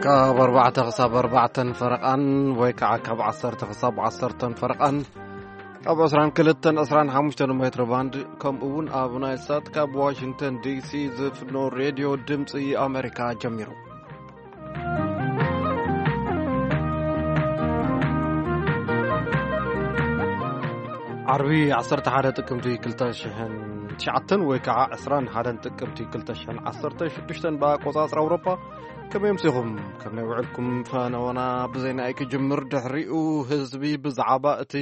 ካብ ኣርባዕተ ክሳብ ኣርባዕተን ፈረቓን ወይ ከዓ ካብ ዓሰርተ ክሳብ ዓሰርተን ፈረቓን ኣብ ዕስራን ክልተን ዕስራን ሓሙሽተን ሜትሮ ባንድ ከምኡ እውን ኣብ ናይል ሳት ካብ ዋሽንግተን ዲሲ ዝፍኖ ሬድዮ ድምፂ ኣሜሪካ ጀሚሩ። ዓርቢ ዓሰርተ ሓደ ጥቅምቲ ክልተ ሽሕን ትሽዓተን ወይ ከዓ ዕስራን ሓደን ጥቅምቲ ክልተ ሽሕን ዓሰርተ ሽዱሽተን ብኣቆፃፅራ ኣውሮፓ። ከመይ ኣምሲኹም? ከመይ ውዕልኩም? ፈነወና ብዜና እዩ ክጅምር። ድሕሪኡ ህዝቢ ብዛዕባ እቲ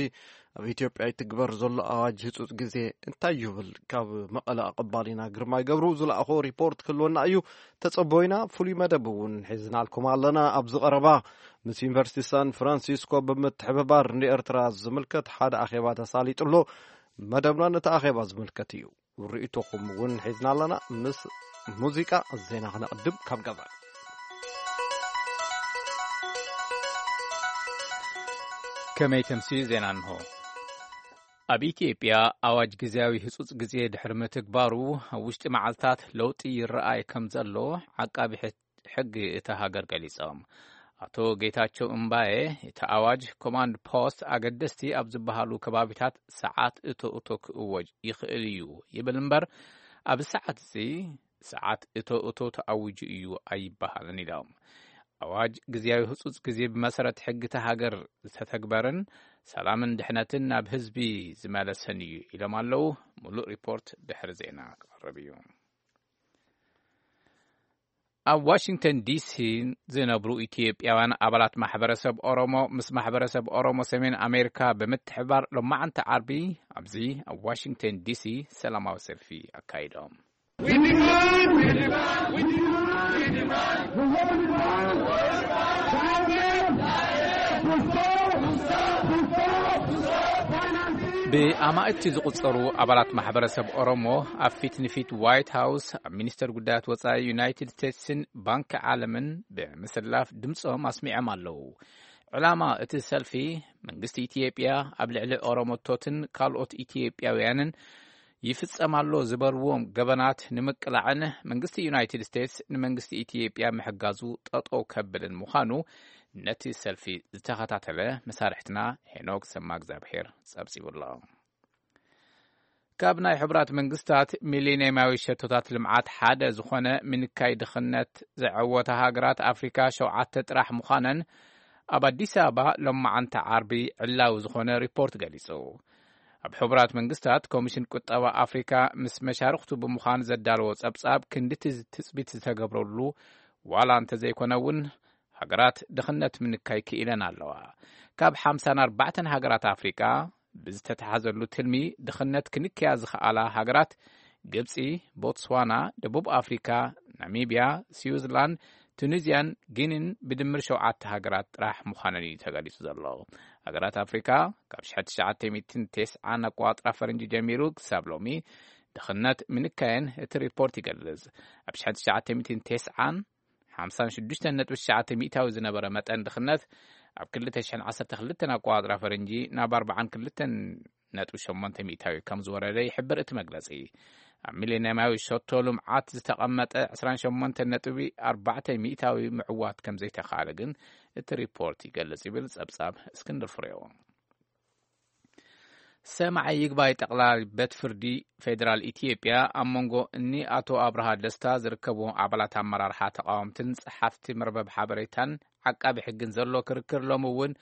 ኣብ ኢትዮጵያ ይትግበር ዘሎ ኣዋጅ ህፁፅ ግዜ እንታይ ይብል? ካብ መቐለ ኣቐባሊና ግርማይ ገብሩ ዝለኣኾ ሪፖርት ክህልወና እዩ። ተጸቦይና ፍሉይ መደብ እውን ሒዝናልኩም ኣለና። ኣብዚ ቀረባ ምስ ዩኒቨርሲቲ ሳን ፍራንሲስኮ ብምትሕብባር ንኤርትራ ዝምልከት ሓደ ኣኼባ ተሳሊጡ ኣሎ። መደብና ነቲ ኣኼባ ዝምልከት እዩ። ርእይቶኹም እውን ሒዝና ኣለና። ምስ ሙዚቃ ዜና ክነቕድም ካብ ገዛ። ከመይ ተምሲ ዜና እንሆ። ኣብ ኢትዮጵያ ኣዋጅ ግዜያዊ ህጹጽ ግዜ ድሕሪ ምትግባሩ፣ ኣብ ውሽጢ መዓልታት ለውጢ ይረኣይ ከም ዘሎ ዓቃቢ ሕት-፣ ሕጊ እታ ሃገር ገሊጾም። ኣቶ ጌታቸው እምባዬ፣ እቲ ኣዋጅ ኮማንድ ፖስት ኣገደስቲ ኣብ ዝበሃሉ ከባቢታት ሰዓት እቶ እቶ ክእወጅ ይኽእል እዩ ይብል እምበር፣ ኣብ ሰዓት እዚ ሰዓት እቶ እቶ ተኣዊጁ እዩ ኣይበሃልን ኢሎም። ኣዋጅ ግዜያዊ ህጹጽ ግዜ ብመሰረት ሕጊ እታ ሃገር ዝተተግበርን ሰላምን ድሕነትን ናብ ህዝቢ ዝመለሰን እዩ ኢሎም ኣለዉ። ሙሉእ ሪፖርት ድሕሪ ዜና ክቐርብ እዩ። ኣብ ዋሽንግተን ዲሲ ዝነብሩ ኢትዮጵያውያን ኣባላት ማሕበረሰብ ኦሮሞ ምስ ማሕበረሰብ ኦሮሞ ሰሜን ኣሜሪካ ብምትሕብባር ሎማዓንቲ ዓርቢ ኣብዚ ኣብ ዋሽንግተን ዲሲ ሰላማዊ ሰልፊ ኣካይዶም። ብኣማእቲ ዝቑጸሩ ኣባላት ማሕበረሰብ ኦሮሞ ኣብ ፊት ንፊት ዋይት ሃውስ ኣብ ሚኒስተር ጉዳያት ወጻኢ ዩናይትድ ስቴትስን ባንኪ ዓለምን ብምስላፍ ድምጾም ኣስሚዖም ኣለዉ። ዕላማ እቲ ሰልፊ፣ መንግስቲ ኢትዮጵያ ኣብ ልዕሊ ኦሮሞቶትን ካልኦት ኢትዮጵያውያንን ይፍጸም ኣሎ ዝበልዎም ገበናት ንምቅላዕን መንግስቲ ዩናይትድ ስቴትስ ንመንግስቲ ኢትዮጵያ ምሕጋዙ ጠጠው ከብልን ምዃኑ ነቲ ሰልፊ ዝተኸታተለ መሳርሕትና ሄኖክ ሰማእግዚኣብሄር ጸብጺቡ ኣሎ። ካብ ናይ ሕቡራት መንግስታት ሚሊኒየማዊ ሸቶታት ልምዓት ሓደ ዝኾነ ምንካይ ድኽነት ዘዐወታ ሃገራት ኣፍሪካ ሸውዓተ ጥራሕ ምዃነን ኣብ ኣዲስ ኣበባ ሎማዓንቲ ዓርቢ ዕላዊ ዝኾነ ሪፖርት ገሊጹ። ኣብ ሕቡራት መንግስታት ኮሚሽን ቁጠባ ኣፍሪካ ምስ መሻርኽቱ ብምዃን ዘዳለዎ ጸብጻብ ክንዲ እቲ ትጽቢት ዝተገብረሉ ዋላ እንተዘይኮነ እውን ሃገራት ድኽነት ምንካይ ክኢለን ኣለዋ። ካብ ሓምሳን ኣርባዕተን ሃገራት ኣፍሪቃ ብዝተተሓዘሉ ትልሚ ድኽነት ክንክያ ዝኸኣላ ሃገራት ግብጺ፣ ቦትስዋና፣ ደቡብ ኣፍሪካ፣ ናሚብያ፣ ስዊዝላንድ፣ ቱኒዝያን ጊኒን ብድምር ሸውዓተ ሃገራት ጥራሕ ምዃነን እዩ ተገሊጹ ዘሎ። ሃገራት ኣፍሪካ ካብ ሽሕቲ ትሽዓተ ሚእትን ተስዓን ኣቆጻጽራ ፈረንጂ ጀሚሩ ክሳብ ሎሚ ድኽነት ምንካየን እቲ ሪፖርት ይገልጽ። ኣብ ሽሕቲ ትሽዓተ ሚእትን ተስዓን ሓምሳን ሽዱሽተን ነጥቢ ትሽዓተ ሚእታዊ ዝነበረ መጠን ድኽነት ኣብ ክልተ ሽሕን ዓሰርተ ክልተን ኣቆጻጽራ ፈረንጂ ናብ ኣርባዓን ክልተን ነጥቢ ሸሞንተ ሚእታዊ ከም ዝወረደ ይሕብር እቲ መግለጺ። ኣብ ሚሌንያማዊ ሸቶ ልምዓት ዝተቐመጠ ዕስራን ሸሞንተን ነጥቢ ኣርባዕተ ሚእታዊ ምዕዋት ከም ዘይተኻለ ግን እቲ ሪፖርት ይገልጽ ይብል ጸብጻብ እስክንድር ፍሬው። ሰማዒ ይግባይ ጠቕላሊ ቤት ፍርዲ ፌዴራል ኢትዮጵያ ኣብ መንጎ እኒ ኣቶ ኣብርሃ ደስታ ዝርከብዎም ኣባላት ኣመራርሓ ተቃወምትን ጸሓፍቲ መርበብ ሓበሬታን ዓቃቢ ሕግን ዘሎ ክርክር ሎሚ እውን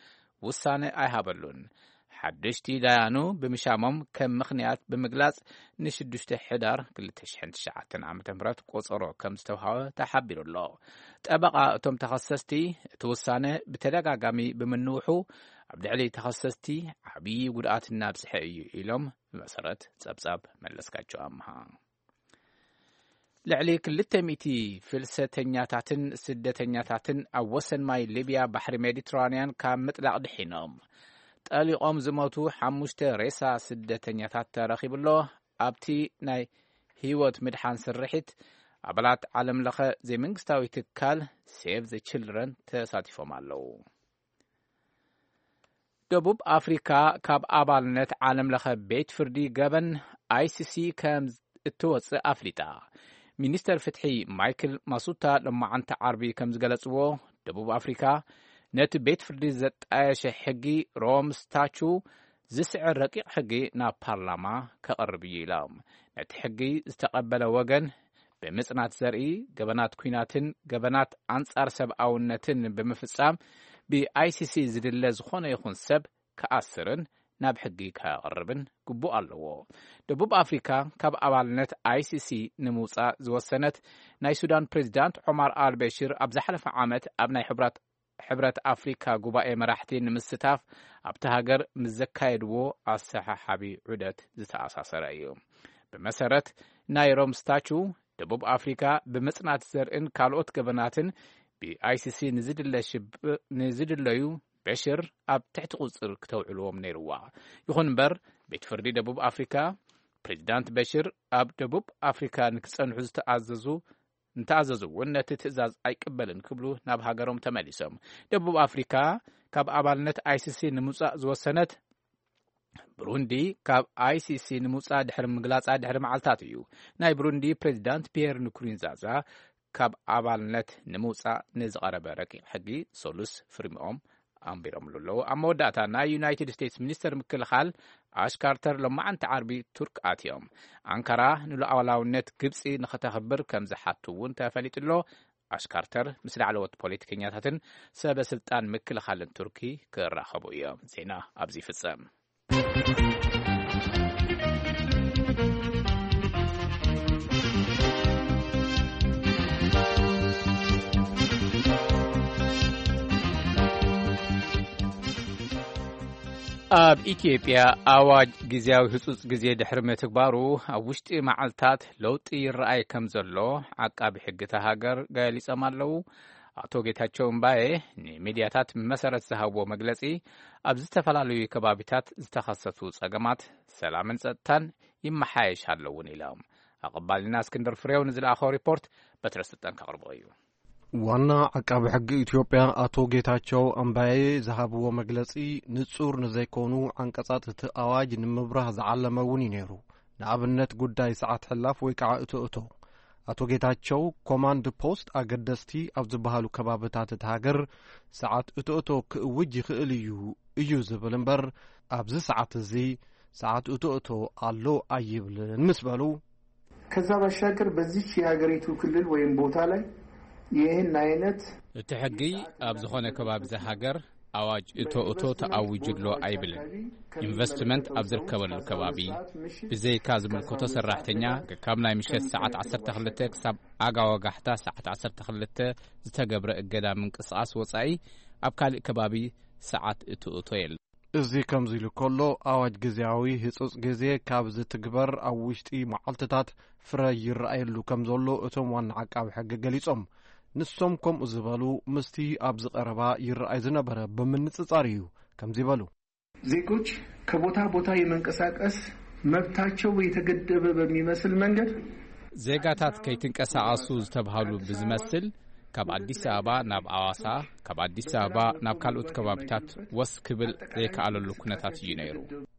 ውሳነ ኣይሃበሉን። ሓደሽቲ ዳያኑ ብምሻሞም ከም ምኽንያት ብምግላጽ ንሽዱሽተ ሕዳር ክልተ ሽሕን ትሽዓተን ዓመተ ምህረት ቆጸሮ ከም ዝተውሃበ ተሓቢሩ ኣሎ። ጠበቓ እቶም ተኸሰስቲ እቲ ውሳነ ብተደጋጋሚ ብምንውሑ ኣብ ልዕሊ ተኸሰስቲ ዓብዪ ጉድኣት እናብዝሐ እዩ ኢሎም ብመሰረት ጸብጻብ መለስካቸው ኣምሃ። ልዕሊ ክልተ ሚእቲ ፍልሰተኛታትን ስደተኛታትን ኣብ ወሰን ማይ ሊብያ ባሕሪ ሜዲትራንያን ካብ ምጥላቕ ድሒኖም። ጠሊቖም ዝሞቱ ሓሙሽተ ሬሳ ስደተኛታት ተረኺቡ ኣሎ። ኣብቲ ናይ ህይወት ምድሓን ስርሒት ኣባላት ዓለም ለኸ ዘይመንግስታዊ ትካል ሴቭ ዘ ችልድረን ተሳቲፎም ኣለዉ። ደቡብ ኣፍሪካ ካብ ኣባልነት ዓለም ለኸ ቤት ፍርዲ ገበን ኣይሲሲ ከም እትወፅእ ኣፍሊጣ። ሚኒስተር ፍትሒ ማይክል ማሱታ ሎማዓንቲ ዓርቢ ከም ዝገለፅዎ፣ ደቡብ ኣፍሪካ ነቲ ቤት ፍርዲ ዘጣየሸ ሕጊ ሮም ስታቹ ዝስዕር ረቂቕ ሕጊ ናብ ፓርላማ ከቕርብ እዩ ኢሎም። ነቲ ሕጊ ዝተቐበለ ወገን ብምጽናት ዘርኢ፣ ገበናት ኲናትን ገበናት ኣንጻር ሰብኣውነትን ብምፍጻም ብኣይሲሲ ዝድለ ዝኾነ ይኹን ሰብ ክኣስርን ናብ ሕጊ ከቕርብን ግቡእ ኣለዎ። ደቡብ ኣፍሪካ ካብ ኣባልነት ኣይሲሲ ንምውጻእ ዝወሰነት ናይ ሱዳን ፕሬዚዳንት ዖማር ኣልበሽር ኣብ ዝሓለፈ ዓመት ኣብ ናይ ሕብራት ሕብረት ኣፍሪካ ጉባኤ መራሕቲ ንምስታፍ ኣብቲ ሃገር ምስ ዘካየድዎ ኣሰሓሓቢ ዑደት ዝተኣሳሰረ እዩ። ብመሰረት ናይ ሮም ስታቹ፣ ደቡብ ኣፍሪካ ብምጽናት ዘርእን ካልኦት ገበናትን ብኣይሲሲ ንዝድለ ሽብ- ንዝድለዩ በሽር ኣብ ትሕቲ ቁጽር ክተውዕልዎም ነይርዋ። ይኹን እምበር፣ ቤት ፍርዲ ደቡብ ኣፍሪካ ፕሬዚዳንት በሽር ኣብ ደቡብ ኣፍሪካ ንክጸንሑ ዝተኣዘዙ እንተኣዘዙ እውን ነቲ ትእዛዝ ኣይቅበልን ክብሉ ናብ ሃገሮም ተመሊሶም። ደቡብ ኣፍሪካ ካብ ኣባልነት ኣይሲሲ ንምውጻእ ዝወሰነት ብሩንዲ ካብ ኣይሲሲ ንምውጻእ ድሕሪ ምግላጻ ድሕሪ መዓልታት እዩ። ናይ ብሩንዲ ፕሬዚዳንት ፒየር ንኩሩንዛዛ ካብ ኣባልነት ንምውጻእ ንዝቐረበ ረቂቕ ሕጊ ሰሉስ ፍርሚኦም ኣንቢሮምሉ ኣለዉ። ኣብ መወዳእታ ናይ ዩናይትድ ስቴትስ ሚኒስተር ምክልኻል ኣሽ ካርተር ሎማዓንቲ ዓርቢ ቱርክ ኣትዮም። ኣንካራ ንሉዓላውነት ግብጺ ንኸተኽብር ከም ዝሓቱ እውን ተፈሊጡ ኣሎ። ኣሽ ካርተር ምስ ላዕለዎት ፖለቲከኛታትን ሰበ ስልጣን ምክልኻልን ቱርኪ ክራኸቡ እዮም። ዜና ኣብዚ ይፍጸም። ኣብ ኢትዮጵያ ኣዋጅ ግዜያዊ ህጹጽ ግዜ ድሕሪ ምትግባሩ ኣብ ውሽጢ መዓልታት ለውጢ ይረኣይ ከም ዘሎ ዓቃቢ ሕጊ እታ ሃገር ገሊጾም ኣለዉ። ኣቶ ጌታቸው እምባዬ ንሚድያታት ብመሰረት ዝሃብዎ መግለጺ፣ ኣብ ዝተፈላለዩ ከባቢታት ዝተኸሰቱ ጸገማት ሰላምን ጸጥታን ይመሓየሽ ኣለውን ኢሎም። ኣቐባልና እስክንድር ፍሬው ንዝለኣኸው ሪፖርት በትረ ስልጣን ከቕርቦ እዩ። ዋና ዓቃቢ ሕጊ ኢትዮጵያ ኣቶ ጌታቸው ኣምባዬ ዝሃብዎ መግለጺ፣ ንጹር ንዘይኮኑ ዓንቀጻት እቲ ኣዋጅ ንምብራህ ዝዓለመ እውን እዩ ነይሩ። ንኣብነት፣ ጉዳይ ሰዓት ሕላፍ ወይ ከዓ እቶ እቶ። ኣቶ ጌታቸው፣ ኮማንድ ፖስት ኣገደስቲ ኣብ ዝበሃሉ ከባብታት እቲ ሃገር ሰዓት እቶ እቶ ክእውጅ ይኽእል እዩ፣ እዩ ዝብል እምበር፣ ኣብዚ ሰዓት እዚ ሰዓት እቶ እቶ ኣሎ ኣይብልን ምስ በሉ፣ ከዛ ባሻገር በዚች የሀገሪቱ ክልል ወይም ቦታ ላይ ይህን አይነት እቲ ሕጊ ኣብ ዝኾነ ከባቢ እዛ ሃገር ኣዋጅ እቶ እቶ ተኣዊጁ ኣሎ ኣይብልን። ኢንቨስትመንት ኣብ ዝርከበሉ ከባቢ ብዘይካ ዝምልከቶ ሰራሕተኛ ካብ ናይ ምሸት ሰዓት ዓሰርተ ክልተ ክሳብ ኣጋ ወጋሕታ ሰዓት ዓሰርተ ክልተ ዝተገብረ እገዳ ምንቅስቓስ ወጻኢ ኣብ ካልእ ከባቢ ሰዓት እቶ እቶ የለን። እዚ ከምዚ ኢሉ ከሎ፣ ኣዋጅ ግዜያዊ ህጹጽ ግዜ ካብ ዝትግበር ኣብ ውሽጢ መዓልትታት ፍረ ይረኣየሉ ከም ዘሎ እቶም ዋና ዓቃቢ ሕጊ ገሊጾም። ንሶም ከምኡ ዝበሉ ምስቲ ኣብዚ ቀረባ ይረኣይ ዝነበረ ብምንጽጻር እዩ ከምዚ በሉ። ዜጎች ከቦታ ቦታ የመንቀሳቀስ መብታቸው የተገደበ በሚመስል መንገድ ዜጋታት ከይትንቀሳቐሱ ዝተብሃሉ ብዝመስል ካብ ኣዲስ ኣበባ ናብ ኣዋሳ፣ ካብ ኣዲስ ኣበባ ናብ ካልኦት ከባቢታት ወስ ክብል ዘይከኣለሉ ኩነታት እዩ ነይሩ።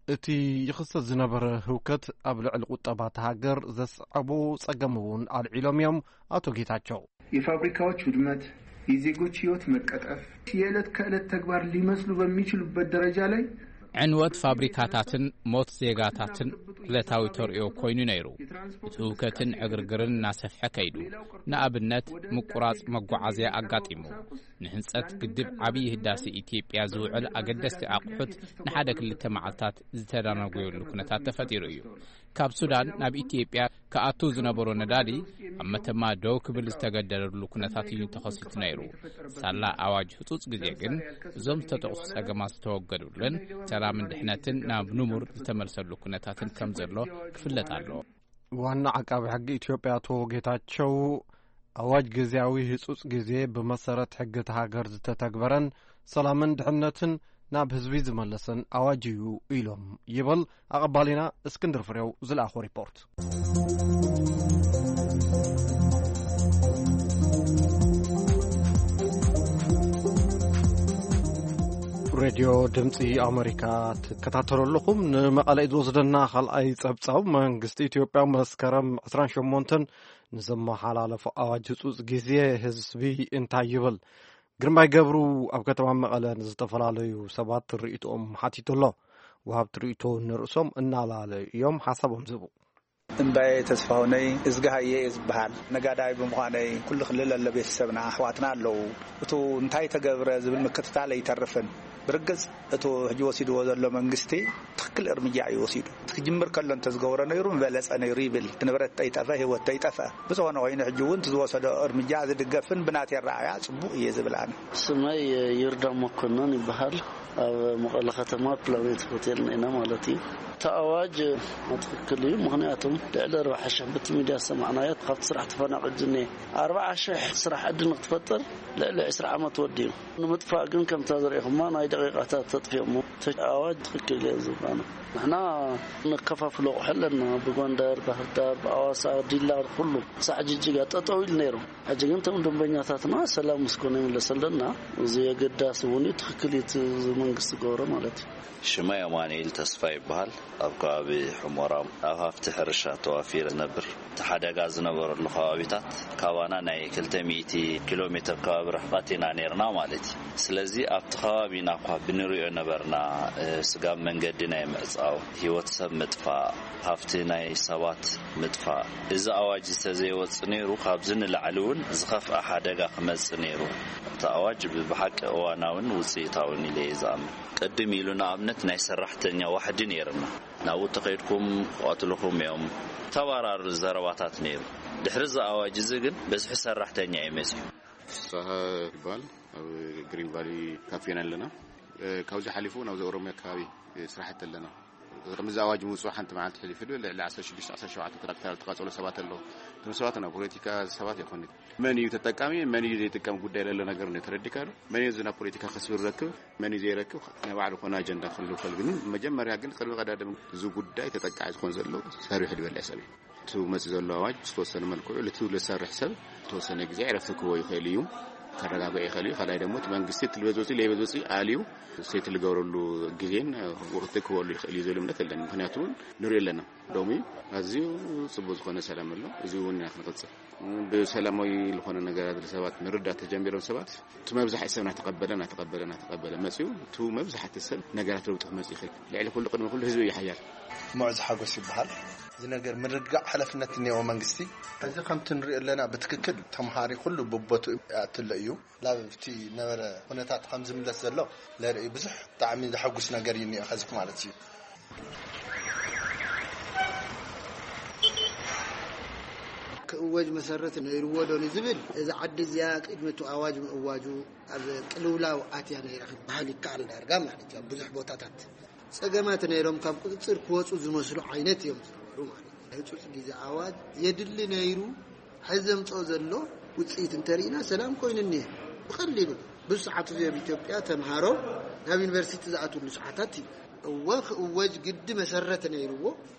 እቲ ይኽሰት ዝነበረ ህውከት ኣብ ልዕሊ ቁጠባ እታ ሃገር ዘስዓቦ ጸገም እውን ኣልዒሎም እዮም ኣቶ ጌታቸው። የፋብሪካዎች ውድመት፣ የዜጎች ህይወት መቀጠፍ የዕለት ከዕለት ተግባር ሊመስሉ በሚችሉበት ደረጃ ላይ ዕንወት ፋብሪካታትን ሞት ዜጋታትን ዕለታዊ ተርእዮ ኮይኑ ነይሩ። እቲ ህውከትን ዕግርግርን እናሰፍሐ ከይዱ። ንኣብነት፣ ምቁራጽ መጓዓዝያ ኣጋጢሙ። ንህንጸት ግድብ ዓብዪ ህዳሴ ኢትዮጵያ ዝውዕል ኣገደስቲ ኣቑሑት ንሓደ ክልተ መዓልታት ዝተዳነጎየሉ ኩነታት ተፈጢሩ እዩ። ካብ ሱዳን ናብ ኢትዮጵያ ክኣቱ ዝነበሮ ነዳዲ ኣብ መተማ ደው ክብል ዝተገደደሉ ኩነታት እዩ ተኸሲቱ ነይሩ። ሳላ ኣዋጅ ህጹጽ ግዜ ግን እዞም ዝተጠቕሱ ጸገማት ዝተወገዱሉን ሰላምን ድሕነትን ናብ ንቡር ዝተመልሰሉ ኩነታትን ከም ዘሎ ክፍለጥ ኣለዎ። ዋና ዓቃቢ ሕጊ ኢትዮጵያ ኣቶ ጌታቸው፣ ኣዋጅ ግዜያዊ ህጹጽ ግዜ ብመሰረት ሕጊ እታ ሃገር ዝተተግበረን ሰላምን ድሕነትን ናብ ህዝቢ ዝመለሰን ኣዋጅ እዩ ኢሎም ይብል ኣቐባሊና እስክንድር ፍሬው ዝለኣኾ ሪፖርት። ሬድዮ ድምፂ ኣሜሪካ ትከታተሉ ኣለኹም። ንመቐለ እዩ ዝወስደና ካልኣይ ጸብጻብ። መንግስቲ ኢትዮጵያ መስከረም ዕስራን ሸሞንተን ንዘመሓላለፎ ኣዋጅ ህጹጽ ግዜ ህዝቢ እንታይ ይብል? ግርማይ ገብሩ ኣብ ከተማ መቐለ ንዝተፈላለዩ ሰባት ርእይቶኦም ሓቲቱ ኣሎ። ወሃብቲ ርእይቶ ንርእሶም እናላለዩ እዮም ሓሳቦም ዝህቡ። እምባየ ተስፋሁነይ እዝግሃየ እየ ዝበሃል። ነጋዳይ ብምዃነይ ኩሉ ክልል ኣሎ ቤተሰብና ኣሕዋትና ኣለዉ። እቱ እንታይ ተገብረ ዝብል ምክትታል ኣይተርፍን። ብርግጽ እቱ ሕጂ ወሲድዎ ዘሎ መንግስቲ ትኽክል እርምጃ እዩ ወሲዱ። እቲ ክጅምር ከሎ እንተዝገብሮ ነይሩ ምበለጸ ነይሩ ይብል። እቲ ንብረት ተይጠፈ ህይወት ተይጠፈ። ብዝኾነ ኮይኑ ሕጂ እውን እቲ ዝወሰዶ እርምጃ ዝድገፍን ብናተይ ኣረኣእያ ጽቡቕ እየ ዝብል ኣነ። ስመይ ይርዳ መኮነን ይበሃል። ኣብ መቐለ ከተማ ፕላኔት ሆቴል ኢና ማለት እዩ። እቲ ኣዋጅ ትኽክል እዩ። ምኽንያቱም ልዕሊ ኣርባዓ ሽሕ ብቲ ሚድያ ዝሰማዕናዮ ካብቲ ስራሕ ተፈናቒሉ ዝኒኤ ኣርባዓ ሽሕ ስራሕ ዕድል ንክትፈጥር ልዕሊ ዕስራ ዓመት ወዲኡ። ንምጥፋእ ግን ከምታ ዘርእኹማ ናይ ደቂቃታት ተጥፊኦሞ። እቲ ኣዋጅ ትኽክል እየ ዝብል ኣነ። ንሕና ነከፋፍሎ ኣቑሑ ኣለና። ብጎንደር፣ ባህርዳር፣ ብኣዋሳ፣ ዲላ፣ ኩሉ ሳዕ ጅጅጋ ጠጠው ኢሉ ነይሩ። ሕጂ ግን እቶም ደንበኛታትና ሰላም ምስ ኮነ ይምለሰልና። እዚ ኣገዳሲ እውን እዩ። ትኽክል እዩ እቲ መንግስቲ ዝገብሮ ማለት እዩ። ሽመይ ኣማኑኤል ተስፋ ይበሃል። ኣብ ከባቢ ሑመራ ኣብ ሃፍቲ ሕርሻ ተዋፊረ ዝነብር። እቲ ሓደጋ ዝነበረሉ ከባቢታት ካባና ናይ ክልተ ሚእቲ ኪሎ ሜትር ከባቢ ርሕቐት ኢና ነይርና ማለት እዩ። ስለዚ ኣብቲ ከባቢና እኳ ብንሪኦ ነበርና፣ እ፣ ስጋብ መንገዲ ናይ ምዕጻው፣ ህይወት ሰብ ምጥፋእ፣ ሃፍቲ ናይ ሰባት ምጥፋእ፣ እዚ ኣዋጅ እንተዘይወጽእ ነይሩ ካብዚ ንላዕሊ እውን ዝኸፍኣ ሓደጋ ክመጽእ ነይሩ። እቲ ኣዋጅ ብ-፣ ብሓቂ እዋናውን ውጽኢታውን ኢለ እየ ዝኣምን። ቅድም ኢሉ ንኣብነት ናይ ሰራሕተኛ ዋሕዲ ነይርና። ናብኡ ተኸይድኩም ክቐትልኹም እዮም። ተባራሪ ዘረባታት ነይሩ። ድሕሪ እዚ ኣዋጅ እዚ ግን በዝሒ ሰራሕተኛ እዩ መጺኡ። ፍስሃ ይበሃል። ኣብ ግሪን ቫሊ ካፌ ኢና ኣለና። እ፣ ካብዚ ሓሊፉ ናብዚ ኦሮሚያ ከባቢ፣ እ፣ ስራሕቲ ኣለና። ከምዚ ኣዋጅ ምውፅኡ ሓንቲ መዓልቲ ሕሊፉ ልዕሊ ዓሰርተ ሽዱሽተ ዓሰርተ ሸውዓተ ትራክተር ዝተቃፀሉ ሰባት ኣለዉ። እቶም ሰባት ናብ ፖለቲካ ሰባት ይኾኑ። መን እዩ ተጠቃሚ፣ መን እዩ ዘይጥቀም ጉዳይ ለሎ ነገር ነው ተረዲካ ዶ? መን እዩ እዚ ናብ ፖለቲካ ከስብር ረክብ፣ መን እዩ ዘይረክብ፣ ናይ ባዕሉ ኮነ ኣጀንዳ ክህሉ ይኽእል። ግን መጀመርያ ግን ቅድሚ ቀዳድም እዚ ጉዳይ ተጠቃዒ ዝኾን ዘሎ ሰሪሑ ዝበልዕ ሰብ እዩ። እቲ መፂ ዘሎ ኣዋጅ ዝተወሰነ መልክዑ ልትው ልሰርሕ ሰብ ዝተወሰነ ግዜ ዕረፍቲ ክህቦ ይኽእል እዩ፣ ከረጋግኦ ይኽእል እዩ። ካልኣይ ደግሞ እቲ መንግስቲ እቲ ልበዝ ወፂ ለይበዝ ወፂ ኣልዩ ሴት ልገብረሉ ግዜን ወቅቲ ክህበሉ ይኽእል እዩ ዝብል እምነት ኣለኒ። ምክንያቱ እውን ንሪኦ ኣለና። ሎሚ ኣዝዩ ጽቡቅ ዝኾነ ሰላም ኣሎ። እዚ እውን ኢና ክንቕጽል። ብሰላማዊ ዝኾነ ነገራት ሰባት ምርዳእ ተጀሚሮም ሰባት እቲ መብዛሕቲ ሰብ እናተቐበለ እናተቐበለ እናተቐበለ መጺኡ እቲ መብዛሕቲ ሰብ ነገራት ለውጢ ክመጽእ ይኽእል። ልዕሊ ኩሉ ቅድሚ ኩሉ ህዝቢ እዩ ሓያል። ሙዑዝ ሓጎስ ይበሃል። እዚ ነገር ምርግጋዕ ሓላፍነት እኒኦ መንግስቲ። እዚ ከምቲ ንሪኦ ኣለና ብትክክል ተምሃሪ ኩሉ ብቦቱ ኣትሎ እዩ። ላብቲ ነበረ ኩነታት ከም ዝምለስ ዘሎ ለርኢ ብዙሕ ብጣዕሚ ዘሐጉስ ነገር እዩ እኒኦ ኸዚ ማለት እዩ። ክእወጅ መሰረት ነይርዎ ዶ ንዝብል፣ እዚ ዓዲ እዚኣ ቅድሚ እቲ ኣዋጅ ምእዋጁ ኣብ ቅልውላው ኣትያ ነይራ ክበሃል ይከኣል። ዳርጋ ማለት እዩ ኣብ ብዙሕ ቦታታት ጸገማት ነይሮም ካብ ቁጽጽር ክወጹ ዝመስሉ ዓይነት እዮም ዝነበሩ ማለት እዩ። ህጹጽ ግዜ ኣዋጅ የድሊ ነይሩ። ሕዚ ዘምጽኦ ዘሎ ውጽኢት እንተርኢና ሰላም ኮይኑ እኒሀ። ብቐሊሉ ብዙሕ ሰዓት እዚ ኣብ ኢትዮጵያ ተምሃሮ ናብ ዩኒቨርሲቲ ዝኣትውሉ ሰዓታት እዩ። እወ ክእወጅ ግዲ መሰረት ነይርዎ።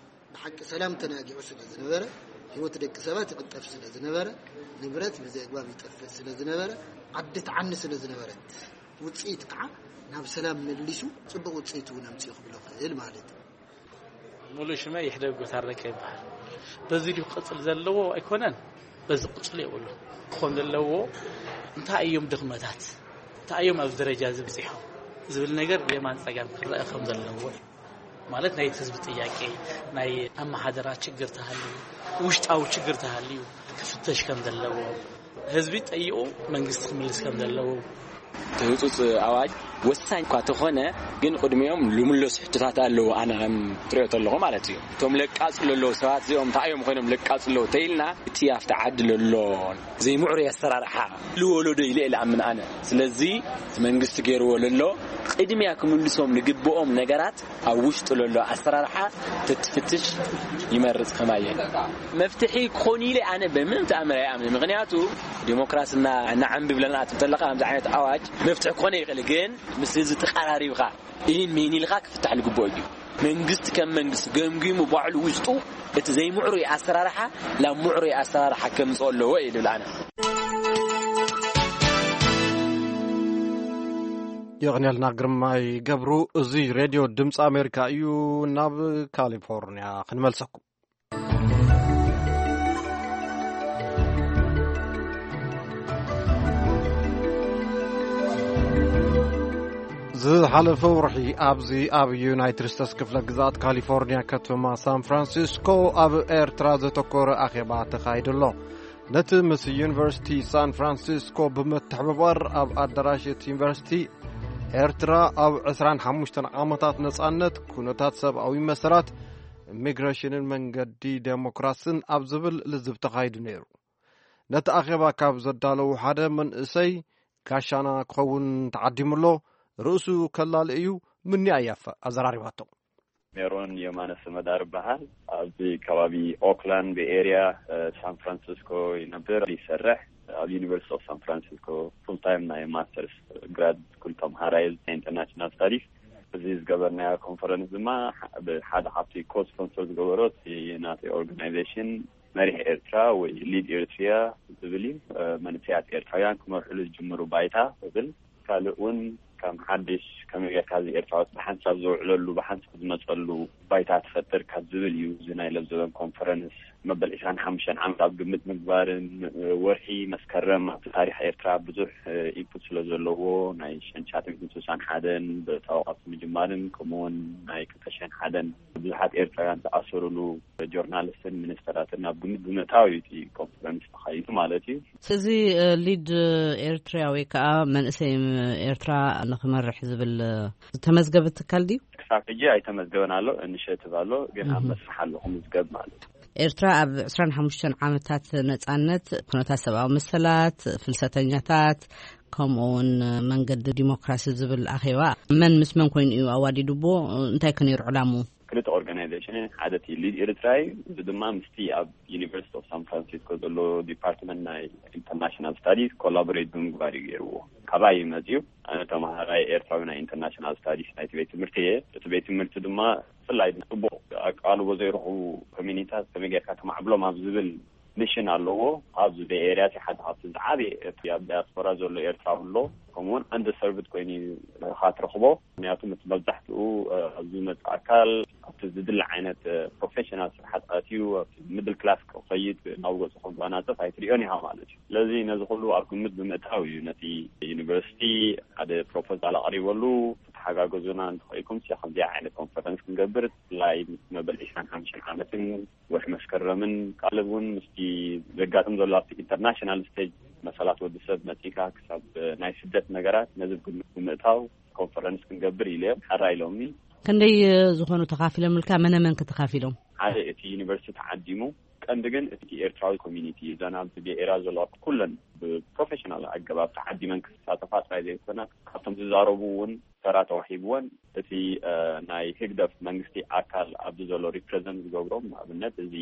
ብሓቂ ሰላም ተናጊዑ ስለ ዝነበረ፣ ህይወት ደቂ ሰባት ይቕጠፍ ስለ ዝነበረ፣ ንብረት ብዘይ ኣግባብ ይጠፍእ ስለ ዝነበረ፣ ዓዲ ትዓኒ ስለ ዝነበረት፣ ውጽኢት ከዓ ናብ ሰላም መሊሱ ጽቡቕ ውጽኢት እውን ኣምጺኡ ክብሎ ክእል ማለት እዩ። ሙሉ ሽመ ይሕደግ ጎታረቀ ይበሃል። በዚ ድዩ ክቕጽል ዘለዎ ኣይኮነን፣ በዚ ክቕጽል የብሉ። ክኾን ዘለዎ እንታይ እዮም ድኽመታት፣ እንታይ እዮም ኣብዚ ደረጃ እዚ በጺሖም ዝብል ነገር ብየማን ጸጋም ክረአ ከም ዘለዎ እዩ። ማለት ናይ ህዝቢ ጥያቄ፣ ናይ ኣመሓደራ ችግር ተሃልዩ፣ ውሽጣዊ ችግር ተሃልዩ ክፍተሽ ከም ዘለዎ፣ ህዝቢ ጠይቑ መንግስቲ ክምልስ ከም ዘለዎ። እቲ ህጹጽ ኣዋጅ ወሳኝ እኳ ተኾነ፣ ግን ቅድሚኦም ልምለሱ ሕቶታት ኣለዉ። ኣነ ከም ትሪኦ ተለኹ ማለት እዩ። እቶም ለቃጽሉ ኣለዉ ሰባት እዚኦም እንታይ እዮም ኮይኖም ለቃጽሉ ኣለዉ ተይልና፣ እቲ ኣብቲ ዓዲ ለሎ ዘይምዕሩይ ኣሰራርሓ ልወለዶ ኢለ እየ ልኣምን ኣነ። ስለዚ እቲ መንግስቲ ገይርዎ ለሎ ቅድሚያ ክምልሶም ልግብኦም ነገራት ኣብ ውሽጢ ለሎ ኣሰራርሓ ተትፍትሽ ይመርጽ። ከማየ መፍትሒ ክኾን ኢለ ኣነ በምንም ተኣምር ኣይኣምን። ምኽንያቱ ዲሞክራሲ እና እናዓንቢ ብለና ትብተለካ ከምዚ ዓይነት ኣዋጅ መፍትሒ ክኾነ ይኽእል፣ ግን ምስ ህዝቢ ተቐራሪብካ ኢን ሜን ኢልካ ክፍታሕ ልግብኦ እዩ። መንግስቲ ከም መንግስቲ ገምጊሙ ባዕሉ ውሽጡ እቲ ዘይምዕሩይ ኣሰራርሓ ናብ ምዕሩይ ኣሰራርሓ ከምፅኦ ኣለዎ እየ ልብል ኣነ። የቕንየልና ግርማይ ገብሩ። እዚ ሬድዮ ድምፂ ኣሜሪካ እዩ። ናብ ካሊፎርኒያ ክንመልሰኩም። ዝሓለፈ ወርሒ ኣብዚ ኣብ ዩናይትድ ስቴትስ ክፍለ ግዝኣት ካሊፎርኒያ ከተማ ሳን ፍራንሲስኮ ኣብ ኤርትራ ዘተኮረ ኣኼባ ተኻይዱ ኣሎ። ነቲ ምስ ዩኒቨርሲቲ ሳን ፍራንሲስኮ ብምትሕብባር ኣብ ኣዳራሽ እቲ ዩኒቨርሲቲ ኤርትራ ኣብ ዕስራን ሓሙሽተን ዓመታት ነጻነት፣ ኩነታት ሰብኣዊ መሰላት፣ ኢሚግሬሽንን መንገዲ ዴሞክራስን ኣብ ዝብል ልዝብ ተኻይዱ ነይሩ። ነቲ ኣኼባ ካብ ዘዳለዉ ሓደ መንእሰይ ጋሻና ክኸውን ተዓዲሙ ኣሎ። ርእሱ ከላሊ እዩ። ምኒ ኣያፈ ኣዘራሪባቶ። ሜሮን የማነ ስመዳር ይበሃል። ኣብዚ ከባቢ ኦክላንድ ቤይ ኤርያ፣ እ፣ ሳን ፍራንሲስኮ ይነብር፣ ይሰርሕ። ኣብ ዩኒቨርሲቲ ኦፍ ሳን ፍራንሲስኮ ፉል ታይም ናይ ማስተርስ ግራድ ስኩል ተምሃራይ ናይ ኢንተርናሽናል ስታዲስ። እዚ ዝገበርናዮ ኮንፈረንስ ድማ ብ-፣ ሓደ ካብቲ ኮ ስፖንሰር ዝገበሮ እቲ ናተይ ኦርጋናይዜሽን መሪሕ ኤርትራ ወይ ሊድ ኤርትሪያ ዝብል እዩ። እ፣ መንእሰያት ኤርትራውያን ክመርሕሉ ዝጅምሩ ባይታ ዝብል፣ ካልእ እውን ከም ሓድሽ ከመይ ጌርካ እዚ ኤርትራዎት ብሓንሳብ ዝውዕለሉ፣ ብሓንሳብ ዝመጸሉ ባይታ ትፈጥር ካብ ዝብል እዩ። እዚ ናይ ለብዘበን ኮንፈረንስ መበል ዕስራን ሓሙሽተን ዓመት ኣብ ግምት ምግባርን፣ እ፣ ወርሒ መስከረም ኣብቲ ታሪኽ ኤርትራ ብዙሕ፣ እ፣ ኢንፑት ስለ ዘለዎ፣ ናይ ሸንሻትን ስሳን ሓደን ብታወቃት ምጅማርን፣ ከምኡውን ናይ ክልተ ሽሕን ሓደን ብዙሓት ኤርትራውያን ዝኣሰሩሉ ጆርናሊስትን ሚኒስተራትን ኣብ ግምት ብምእታው እዩ እቲ ኮንፈረንስ ተኻይዱ ማለት እዩ። እዚ፣ እ፣ ሊድ ኤርትሪያ ወይ ከዓ መንእሰይ ኤርትራ ንኽመርሕ ዝብል፣ እ፣ ዝተመዝገበ ትካል ድዩ? ክሳብ ሕጂ ኣይተመዝገበን ኣሎ፣ ኢኒሼቲቭ ኣሎ፣ ግን ኣብ እህ። መስርሕ ኣሎ ክምዝገብ ማለት እዩ። ኤርትራ ኣብ ዕስራን ሓሙሽተን ዓመታት ነጻነት፣ ኩነታት ሰብኣዊ መሰላት፣ ፍልሰተኛታት፣ ከምኡ እውን መንገዲ ዲሞክራሲ ዝብል ኣኼባ መን ምስ መን ኮይኑ እዩ ኣዋዲድዎ? እንታይ ከ ነይሩ ዕላምኡ? ክልተ ኦርጋናይዜሽን፣ ሓደ እቲ ሊድ ኤርትራ እዩ፣ እዚ ድማ ምስቲ ኣብ ዩኒቨርሲቲ ኦፍ ሳን ፍራንሲስኮ ዘሎ ዲፓርትመንት ናይ ኢንተርናሽናል ስታዲስ ኮላቦሬት ብምግባር እዩ ገይርዎ። ካባይ እዩ መፅዩ። ኣነ ተምሃራይ ኤርትራዊ ናይ ኢንተርናሽናል ስታዲስ ናይቲ ቤት ትምህርቲ እየ። እቲ ቤት ትምህርቲ ድማ ብፍላይ ጽቡቕ ኣቃልቦ ዘይረኽቡ ኮሚኒታት ከመይ ጌርካ ተማዕብሎም ኣብ ዝብል ሚሽን ኣለዎ። ኣብዚ ቤይ ኤርያ እቲ ሓደ ካብቲ ዝዓበየ እቲ ኣብ ዲያስፖራ ዘሎ ኤርትራዊ ኣሎ። ከምኡውን ኣንደርሰርቭድ ኮይኑ ኢኻ ትረኽቦ። ምክንያቱ እቲ መብዛሕትኡ፣ እ፣ ኣብዚ ዝመጽእ ኣካል ኣብቲ ዝድለ ዓይነት፣ እ፣ ፕሮፌሽናል ስርሓት ኣትዩ ኣብቲ ሚድል ክላስ ክኸይድ ናብ ገጹ ክጓናጸፍ ኣይትሪኦን ኢኻ ማለት እዩ። ስለዚ ነዚ ኩሉ ኣብ ግምት ብምእታው እዩ ነቲ ዩኒቨርሲቲ ሓደ ፕሮፖዛል ኣቕሪበሉ። ተሓጋገዙና እንተኽኢልኩም ሲ ከምዚኣ ዓይነት ኮንፈረንስ ክንገብር፣ ብፍላይ መበል ዕስራን ሓሙሽተን ዓመትን ወርሒ መስከረምን ካልእ እውን ምስቲ ዘጋጥም ዘሎ ኣብቲ ኢንተርናሽናል ስቴጅ መሰላት ወዲ ሰብ መጺካ ክሳብ ናይ ስደት ነገራት ነዚ ግምት ብምእታው ኮንፈረንስ ክንገብር ኢለ እዮም ሓራ ኢሎምኒ። ክንደይ ዝኾኑ ተኻፊሎምልካ? መነ መን ከተኻፊሎም? ሓደ እቲ ዩኒቨርሲቲ ተዓዲሙ፣ ቀንዲ ግን እቲ ኤርትራዊ ኮሚኒቲ እዘን ኣብዚ ቤይ ኤርያ ዘለዋ ኩለን ብፕሮፌሽናል ኣገባብ ተዓዲመን ክሳተፋ ጥራይ ዘይኮና ካብቶም ዝዛረቡ እውን ተራ ተዋሂብወን እቲ፣ እ፣ ናይ ህግደፍ መንግስቲ ኣካል ኣብዚ ዘሎ ሪፕሬዘንት ዝገብሮም፣ ንኣብነት እዚ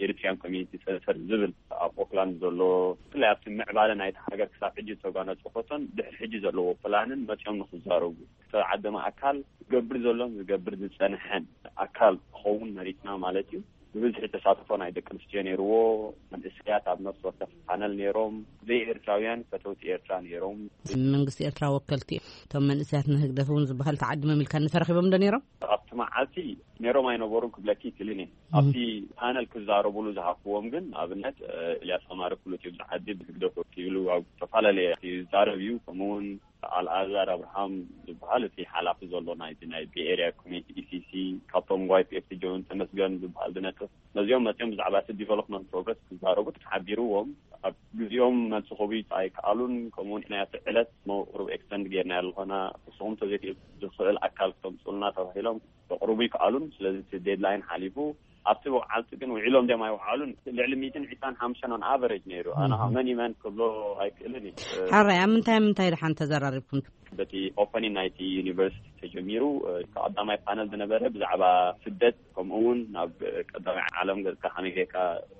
ኤሪትሪያን ኮሚኒቲ ሴንተር ዝብል ኣብ ኦክላንድ ዘሎ፣ ብፍላይ ኣብቲ ምዕባለ ናይቲ ሃገር ክሳብ ሕጂ ዝተጓነጸፈቶን ድሕሪ ሕጂ ዘለዎ ፕላንን መጺኦም ንክዛረቡ፣ ዝተዓደመ ኣካል ዝገብር ዘሎን ዝገብር ዝጸንሐን ኣካል ክኸውን መሪጽና ማለት እዩ። ብብዝሒ ተሳትፎ ናይ ደቂ ኣንስትዮ ነይርዎ። መንእሰያት ኣብ ነፍሲ ወከፍ ፓነል ነይሮም። ዘይኤርትራውያን ፈተውቲ ኤርትራ ነይሮም። መንግስቲ ኤርትራ ወከልቲ እቶም መንእሰያት ንህግደፍ እውን ዝበሃል ተዓዲሞም ኢልካ ተረኺቦም ዶ ነይሮም? ኣብቲ መዓልቲ ነይሮም ኣይነበሩን ክብለኪ ይክእልን እየ። እም። ኣብቲ ፓነል ክዛረቡሉ ዝሃብኩዎም ግን፣ ንኣብነት፣ እ፣ ኤልያስ ኣማረ ፍሉጥ እዩ፣ ብዝዓዲ ብህግደፍ ወኪሉ ኣብ ዝተፈላለየ ይዛረብ እዩ። ከምኡ እውን ኣልኣዛር ኣብርሃም ዝበሃል እቲ ሓላፊ ዘሎ ናይቲ ናይ ቤይ ኤርያ ኮሚኒቲ ኢ ሲ ሲ፣ ካብቶም ዋይ ፒ ኤፍ ቲ ጆን ተመስገን ዝበሃል ዝነጥፍ፣ ነዚኦም መፅኦም ብዛዕባ እቲ ዲቨሎፕመንት ፕሮግረስ ክዛረቡ ተሓቢርዎም። ኣብ ግዜኦም መልሲ ክህቡ ኣይከኣሉን። ከምኡውን ናይ ኣብቲ ዕለት መ-፣ ቁሩብ ኤክስተንድ ጌርና ኣለኾና፣ ንስኹም ተዘይክእል ዝኽእል ኣካል ክተምፅኡልና ተባሂሎም ክቕርቡ ይከኣሉን። ስለዚ እቲ ዴድላይን ሓሊፉ። ኣብቲ መዓልቲ ግን ውዒሎም ድዮም ኣይወዓሉን፣ ልዕሊ ሚእትን ዕስራን ሓሙሽተን ኦን ኣቨሬጅ ነይሩ። ኣነ ኻብ እህ። መን ይመን ክብሎ ኣይክእልን እዩ። ሕራይ፣ ኣብ ምንታይ ምንታይ ድሓን ተዘራሪብኩም? በቲ ኦፐኒንግ ናይቲ ዩኒቨርሲቲ ተጀሚሩ፣ እ፣ ቀዳማይ ፓነል ዝነበረ ብዛዕባ ስደት፣ ከምኡ እውን ናብ ቀዳማይ ዓለም ገጽካ ከመይ ጌርካ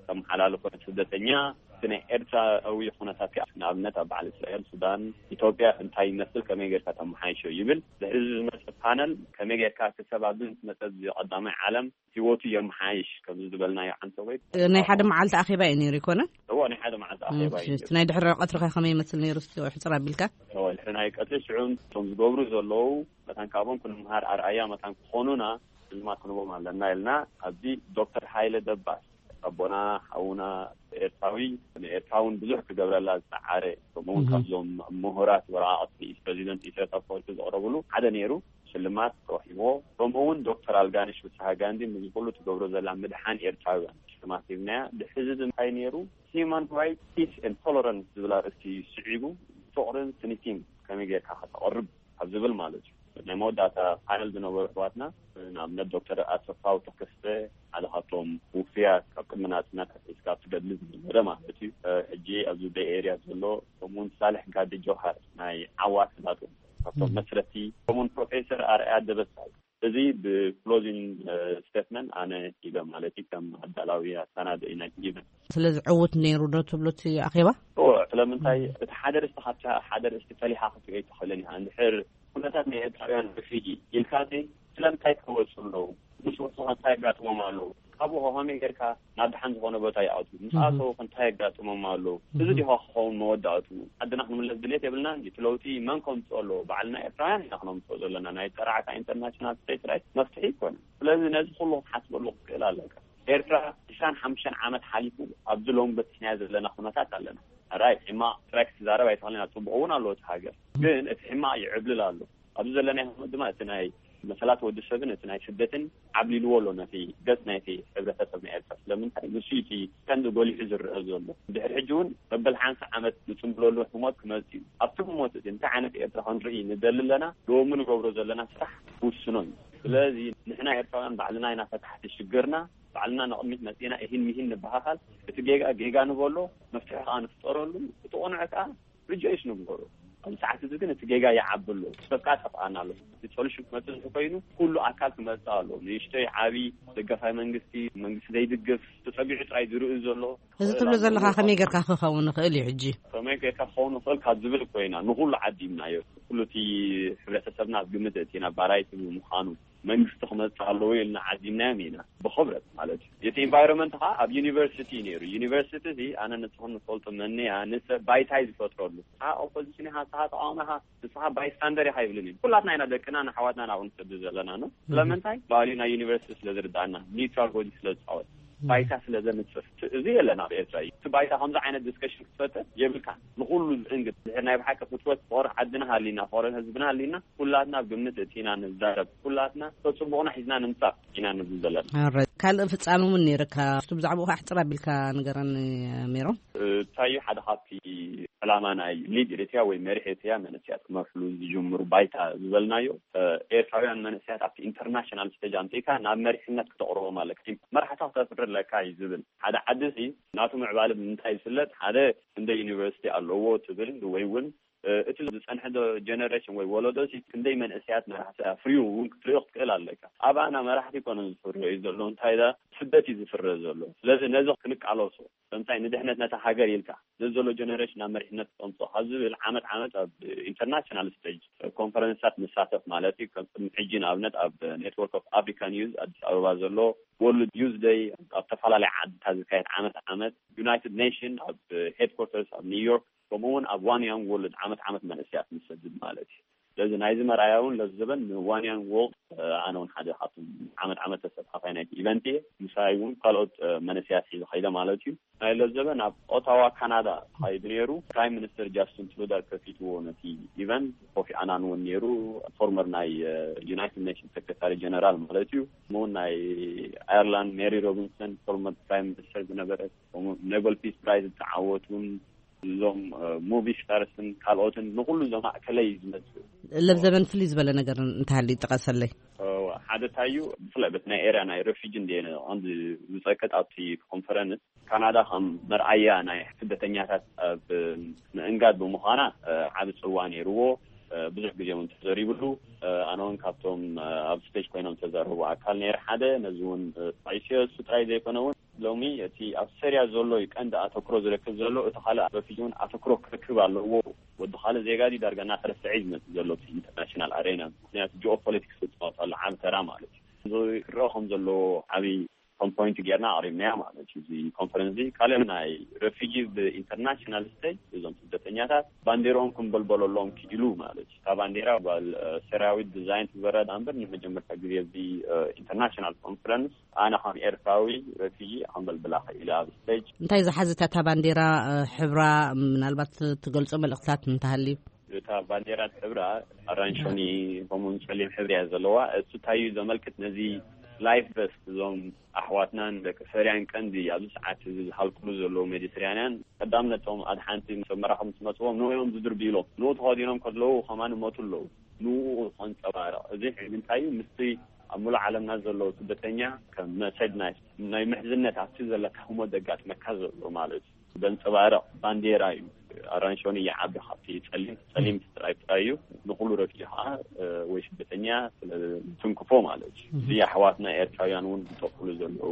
ተመሓላልፎ ስደተኛ፣ እቲ ናይ ኤርትራዊ ኩነታት ከኣ፣ ንኣብነት ኣብ በዓል እስራኤል፣ ሱዳን፣ ኢትዮጵያ እንታይ ይመስል፣ ከመይ ጌርካ ተመሓይሾ ይብል። ድሕሪ እዚ ዝመጸ ፓነል፣ ከመይ ጌርካ እቲ ሰብ ኣብዚ ምስ መጸ፣ እዚ ቀዳማይ ዓለም ህይወቱ የመሓይሽ፣ ከምዚ ዝበልናዮ ዓንተወይ። ናይ ሓደ መዓልቲ ኣኼባ እዩ ነይሩ ይኮነ? እዎ፣ ናይ ሓደ መዓልቲ ኣኼባ እዩ እሺ፣ ነይሩ። እቲ ናይ ድሕሪ ቀትሪ ከ ከመይ ይመስል ነይሩ? እስቲ ሕጽር ኣቢልካ። እዎ፣ ድሕሪ ናይ ቀትሪ ሽዑ እቶም ዝገብሩ ዘለዉ መታን ካብኦም ክንምሃር ኣርኣያ መታን ክኾኑና ሽልማት ክንቦም ኣለና ኢልና ኣብዚ ዶክተር ሃይለ ደባስ ኣቦና፣ ሓውና፣ ኤርትራዊ ንኤርትራ እውን ብዙሕ ክገብረላ ዝጸዓረ፣ ከምኡ እውን እህ። ካብዞም ምሁራት ወረቓቕቲ ፕሬዚደንት ኢሳያስ ኣፈወርቂ ዘቕረብሉ ሓደ ነይሩ። ሽልማት ተዋሂብዎ። ከምኡ እውን ዶክተር ኣልጋነሽ ፍስሃ ጋንዲ፣ ንዚ ኩሉ ትገብሮ ዘላ ምድሓን ኤርትራውያን ሽልማት ሂብናያ። ድሕዚ እዚ እንታይ ነይሩ? Human Rights, Peace and Tolerance ዝብል ኣርእስቲ ስዒቡ፣ ፍቕርን ትንኪን ከመይ ጌርካ ከተቕርብ ኣብ ዝብል ማለት እዩ። ናይ መወዳእታ ፓነል ዝነበሩ ኣሕዋትና፣ ንኣብነት ዶክተር ኣሰፋው ተከስተ፣ ሓደ ካብቶም ውፍያት ካብ ቅድሚ ናጽነት ኣትሒዝካ ኣብቲ ገድሊ ዝነበረ ማለት እዩ። ሕጂ ኣብዚ ቤይ ኤርያ ዘሎ፣ ከምኡውን ሳልሕ ጋዲ ጆሃር ናይ ዓዋተ ናጡ ካብቶም እም። መስረቲ፣ ከምኡውን ፕሮፌሰር ኣርኣያ ደበሳይ። እዚ ብክሎዚንግ ስቴትመንት ኣነ ኢለ ማለት እዩ፣ ከም ኣዳላዊ ኣሰናዳኢ ናይቲ ኢቨንት። ስለዚ ዕውት ነይሩ ዶ ትብሉ እቲ ኣኼባ? እዎ፣ ስለምንታይ? እም። እቲ ሓደ ርእስቲ ካብቲ ሓደ ርእስቲ ፈሊኻ ክትሪኦ ኣይትኽእልን ኢኻ። እንድሕር ኩነታት ናይ ኤርትራውያን ሪፊጂ ኢልካ፣ እቲ ስለምንታይ ክወፁ ኣለዉ? ምስ ወፁ እንታይ ኣጋጥሞም ኣለዉ? ካብኡ ከ ከመይ ጌርካ ናብ ደሓን ዝኾነ ቦታ ይኣትዉ? ምስ እህ። ኣተዉ ከ እንታይ ኣጋጥሞም ኣለዉ? እዚ እህ። ዲኻ ክኸውን መወዳእቱ? ዓድና ክንምለስ ድሌት የብልናን ድዩ? እቲ ለውጢ መን ከምፅኦ ኣለዎ? ባዕልና ኤርትራውያን ኢና ክነምፅኦ ዘለና። ናይ ጠራዕካ ኢንተርናሽናል ስቴት ራይት መፍትሒ ኣይኮነን። ስለዚ ነዚ ኩሉ ክትሓስበሉ ክትክእል ኣለካ። ኤርትራ ዕስራን ሓሙሽተን ዓመት ሓሊፉ ኣብዚ ሎሚ በፂሕናዮ ዘለና ኩነታት ኣለና። ራይት፣ ሕማቕ ጥራይ ክትዛረብ ኣይትኽእልን። ኣብ ፅቡቕ እውን ኣለዎ እቲ ሃገር፣ ግን እቲ ሕማቕ ይዕብልል ኣሎ። ኣብዚ ዘለናዮ ህሞት ድማ እቲ ናይ መሰላት ወዲ ሰብን እቲ ናይ ስደትን ዓብሊልዎ ኣሎ ነቲ ገጽ ናይቲ ሕብረተሰብ ናይ ኤርትራ። ስለምንታይ? ንሱ እቲ ቀንዲ ጎሊሑ ዝረአ ዘሎ። ድሕሪ ሕጂ እውን መበል ሓምሳ ዓመት ንጽምብለሉ ህሞት ክመጽእ እዩ። ኣብቲ ህሞት እቲ እንታይ ዓይነት ኤርትራ ክንርኢ ንደሊ ኣለና? ሎሚ ንገብሮ ዘለና ስራሕ ክውስኖ እዩ። ስለዚ ንሕና ኤርትራውያን ባዕልና ኢና ፈታሕቲ ሽግርና። ባዕልና ንቕድሚት መጺእና እሂን ምሂን ንበሃሃል። እቲ ጌጋ ጌጋ ንበሎ፣ መፍትሒ ከኣ ንፍጠረሉ። እቲ ቅኑዕ ከኣ ሪጆይስ ንግበሮ። ኣብዚ ሰዓት እዚ ግን እቲ ጌጋ ይዓቢ ኣሎ። ሰብ ከኣ ጠፍኣና ኣሎ። እቲ ሶሉሽን ክመጽእ እንተኾይኑ ኩሉ ኣካል ክመጽእ ኣሎ። ንእሽተይ ዓቢ፣ ደገፋይ መንግስቲ፣ መንግስቲ ዘይድግፍ፣ ተጸጊዑ ጥራይ ዝርኢ ዘሎ። እዚ ትብሎ ዘለኻ ከመይ ጌርካ ክኸውን ይኽእል እዩ ሕጂ? ከመይ ጌርካ ክኸውን ይኽእል ካብ ዝብል እኮ ኢና ንኹሉ ዓዲምናዮ። ኩሉ እቲ ሕብረተሰብና ኣብ ግምት እቲ ናብ ባራይቲ ብምዃኑ መንግስቲ ክመጽእ ኣለዎ ኢልና ዓዲምናዮም ኢና ብኽብረት ማለት እዩ። እቲ ኢንቫይሮንመንት ኸዓ ኣብ ዩኒቨርሲቲ እዩ ነይሩ። ዩኒቨርሲቲ እዚ ኣነ ንስኹም ንፈልጦ መንያ ንሰብ ባይታ እዩ ዝፈጥረሉ። ንስኻ ኦፖዚሽን ኢኻ፣ ንስኻ ተቃዋሚ ኢኻ፣ ንስኻ ባይስታንደር ኢኻ ይብልን እዩ። ኩላትና ኢና ደቅና ንኣሕዋትና ናብኡ ንሰዱ ዘለና ነው። ስለምንታይ? ቫልዩ ናይ ዩኒቨርሲቲ ስለ ዝርዳእና፣ ኒውትራል ሮል ስለ ዝፃወት፣ ባይታ ስለ ዘንጽፍ። እዚ የለን ኣብ ኤርትራ እዩ። እቲ ባይታ ከምዚ ዓይነት ዲስከሽን ክትፈጥር የብልካ። ንኹሉ ዝእንግድ ድሕር ናይ ብሓቂ ፍትወት ፍቕሪ ዓድና ሃሊና፣ ፍቕሪ ህዝብና ሃሊና፣ ኩላትና ኣብ ግምት እቲና ንዛረብ፣ ኩላትና ተጽቡቕና ሒዝና ንምጻእ ኢና ንብል ዘለና። ኣረ፣ ካልእ ፍጻመ እውን ነይርካ። እስቲ ብዛዕባኡ ኣሕጽር ኣቢልካ ንገረኒ ሜሮን። እንታይ እዩ ሓደ ካብቲ ዕላማ ናይ ሊድ ኤሪትሪያ ወይ መሪሕ ኤሪትሪያ መንእሰያት ክመርሕሉ ዝጅምሩ ባይታ ዝበልናዮ፣ ኤርትራውያን መንእሰያት ኣብቲ ኢንተርናሽናል ስቴጅ ኣምጺእካ ናብ መሪሕነት ክተቕርቦም ኣለካ። መራሕታ ክተፍሪ ኣለካ እዩ ዝብል። ሓደ ዓዲ እዚ ናቱ ምዕባለ ብምንታይ ይፍለጥ? ሓደ ክንደይ ዩኒቨርሲቲ ኣለዎ ትብል ወይ እውን እቲ ዝጸንሐ ዶ ጀነሬሽን ወይ ወለዶ ሲ ክንደይ መንእሰያት መራሕቲ ኣፍርዩ እውን ክትሪኦ ክትክእል ኣለካ። ኣባና መራሕቲ ይኮነን ዝፍረዩ ዘሎ፣ እንታይ ዳ ስደት እዩ ዝፍረ ዘሎ። ስለዚ ነዚ ክንቃለሶ፣ ከምታይ ንድሕነት ነታ ሃገር ኢልካ ነዚ ዘሎ ጀነሬሽን ናብ መሪሕነት ክተምፅኦ ካብ ዝብል ዓመት ዓመት ኣብ ኢንተርናሽናል ስቴጅ ኮንፈረንስታት ንሳተፍ ማለት እዩ። ከም ቅድሚ ሕጂ ንኣብነት ኣብ ኔትወርክ ኦፍ ኣፍሪካን ዩዝ ኣዲስ ኣበባ ዘሎ፣ ወርልድ ዩዝ ደይ ኣብ ዝተፈላለዩ ዓድታት ዝካየድ ዓመት ዓመት፣ ዩናይትድ ኔሽን ኣብ ሄድኮርተርስ ኣብ ኒውዮርክ፣ ከምኡ እውን ኣብ ዋን ያንግ ወርልድ ዓመት ዓመት መንእሰያት ንሰድድ ማለት እዩ። ስለዚ ናይዚ መርኣያ እውን ለዚ ዘበን ንዋን ያንግ ወርልድ ኣነ እውን ሓደ ካብቶም ዓመት ዓመት ተሳታፋይ ናይቲ ኢቨንት እየ። ምሳይ እውን ካልኦት መንእሰያት ሒዘ ከይደ ማለት እዩ። ናይ ለዚ ዘበን ኣብ ኦታዋ ካናዳ ተኻይዱ ነይሩ። ፕራይም ሚኒስተር ጃስቲን ትሩደር ከፊትዎ ነቲ ኢቨንት። ኮፊ ኣናን እውን ነይሩ፣ ፎርመር ናይ ዩናይትድ ኔሽንስ ሴክሬታሪ ጀነራል ማለት እዩ። ከምኡ እውን ናይ ኣየርላንድ ሜሪ ሮቢንሰን ፎርመር ፕራይም ሚኒስተር ዝነበረት፣ ከምኡ ኖበል ፒስ ፕራይዝ ዝተዓወቱን እዞም ሙቪ ስታርስን ካልኦትን ንኩሉ እዞም ማእከለይ ዝመፅኡ። ለብ ዘበን ፍልይ ዝበለ ነገር እንተሃልዩ ይጥቀሰለይ። እወ፣ ሓደ እንታይ እዩ፣ ብፍላይ በቲ ናይ ኤርያ ናይ ሬፊጂ እንደ ቀንዲ ዝፀቅጥ ኣብቲ ኮንፈረንስ ካናዳ ከም መርኣያ ናይ ስደተኛታት ኣብ ምእንጋድ ብምዃና ዓቢ ፅዋ ነይርዎ። ብዙሕ ግዜ እውን ተዘሪብሉ። ኣነ እውን ካብቶም ኣብ ስቴጅ ኮይኖም ተዛረቡ ኣካል ነይረ ሓደ። ነዚ እውን ጠቒሰዮ። እሱ ጥራይ ዘይኮነ እውን ሎሚ እቲ ኣብ ሰሪያ ዘሎ እዩ ቀንዲ ኣተኩሮ ዝረክብ ዘሎ። እቲ ካልእ ሬፊጂ እውን ኣተኩሮ ክረክብ ኣለዎ። ወዲ ካልእ ዜጋ ድዩ ዳርጋ እናተረስዐ እዩ ዝመጽእ ዘሎ እቲ ኢንተርናሽናል ኣሬና። ምክንያቱ ጂኦፖለቲክስ ዝፃወት ኣሎ ዓቢ ተራ ማለት እዩ። እዚ ክረአ ከም ዘለዎ ዓቢ ከም ፖይንት ጌርና ኣቕሪብናዮ ማለት እዩ። እዚ ኮንፈረንስ እዚ ካልእ ናይ ሬፊጂ ብኢንተርናሽናል ስቴጅ እዞም ስደት ስደተኛታት ባንዴራኦም ክንበልበለሎም ክኢሉ ማለት እዩ። እታ ባንዴራ ጓል ሰራዊት ዲዛይን ትበረድ ኣንበር ንመጀመርታ ግዜ እዚ ኢንተርናሽናል ኮንፈረንስ ኣነ ከም ኤርትራዊ ረፊጂ ኣንበልብላ ክኢለ ኣብ ስቴጅ። እንታይ ዝሓዘት እታ ባንዴራ? ሕብራ፣ ምናልባት ትገልጾ መልእኽትታት እንተሃልዩ? እታ ባንዴራ ሕብራ ኣራንሾኒ ከምኡውን ጸሊም ሕብሪ እያ ዘለዋ። እሱ እንታይ እዩ ዘመልክት? ነዚ ላይፍ ቨስት እዞም ኣሕዋትናን ደቂ ሰሪያን ቀንዲ ኣብዚ ሰዓት እዚ ዝሃልኩሉ ዘለዉ ሜዲትራንያን ቀዳምነቶም ኣድሓንቲ ሰብ መራኸብ ምስ መፅዎም ንኡ እዮም ዝድርብይሎም። ንኡ ተኸዲኖም ከለዉ ከማን ይሞቱ ኣለዉ። ንኡ ከንፀባርቕ እዚ ሕጂ እንታይ እዩ ምስቲ ኣብ ሙሉእ ዓለምና ዘለዉ ስደተኛ ከም መሰጅ ናይ ናይ ምሕዝነት ኣብቲ ዘለካ ህሞት ዘጋጥመካ ዘሎ ማለት እዩ። ዘንፀባርቕ ባንዴራ እዩ። ኣራንሾኒ ይዓቢ ካብቲ ጸሊም ጸሊም ስትራይፕ እዩ። ንኹሉ ረፊጂ ከዓ ወይ ስደተኛ ስለ ትንክፎ ማለት እዩ። እዚ ኣሕዋትና ኤርትራውያን እውን ዝጠፍሉ ዘለዉ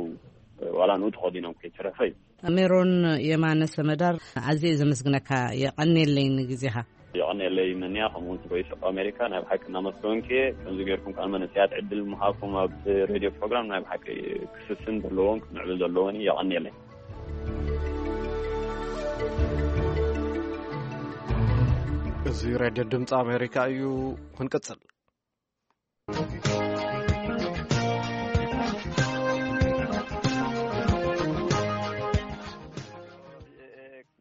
ዋላ ንኡ ተኸዲኖም ከይተረፈ እዩ። ሜሮን የማነ ሰመዳር፣ ኣዝየ ዘመስግነካ። የቐንየለይ ንግዜኻ። የቐንየለይ መንያ ከምኡ እውን ቮይስ ኦፍ ኣሜሪካ ናይ ብሓቂ እናመስገንኩ እየ። ከምዚ ጌርኩም ከዓ መንእሰያት ዕድል ምሃብኩም ኣብ ሬድዮ ፕሮግራም ናይ ብሓቂ ክስስን ዘለዎም ክምዕብል ዘለዎን እዩ። የቐንየለይ። እዚ ሬድዮ ድምፂ ኣሜሪካ እዩ። ክንቅፅል።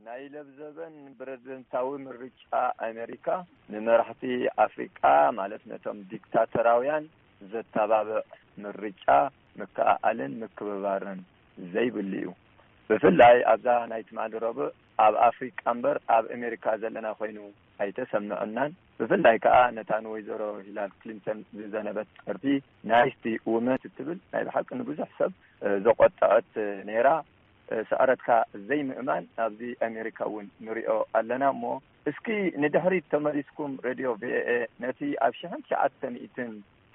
ናይ ለብዘበን ፕረዚደንታዊ ምርጫ ኣሜሪካ ንመራሕቲ ኣፍሪቃ ማለት ነቶም ዲክታተራውያን ዘተባብዕ ምርጫ ምክእኣልን ምክብባርን ዘይብሉ እዩ። ብፍላይ ኣብዛ ናይ ትማሊ ረቡዕ ኣብ ኣፍሪቃ እምበር ኣብ ኣሜሪካ ዘለና ኮይኑ ኣይተሰምዐናን። ብፍላይ ከኣ ነታ ንወይዘሮ ሂላሪ ክሊንተን ዝዘነበት ጸርፊ ናይስቲ ውመን እትብል ናይ ብሓቂ ንብዙሕ ሰብ ዘቆጠዐት ነይራ። ስዕረትካ ዘይምእማን ኣብዚ ኣሜሪካ እውን ንሪኦ ኣለና። እሞ እስኪ ንድሕሪት ተመሊስኩም ሬድዮ ቪኦኤ ነቲ ኣብ ሽሕን ትሽዓተ ሚእትን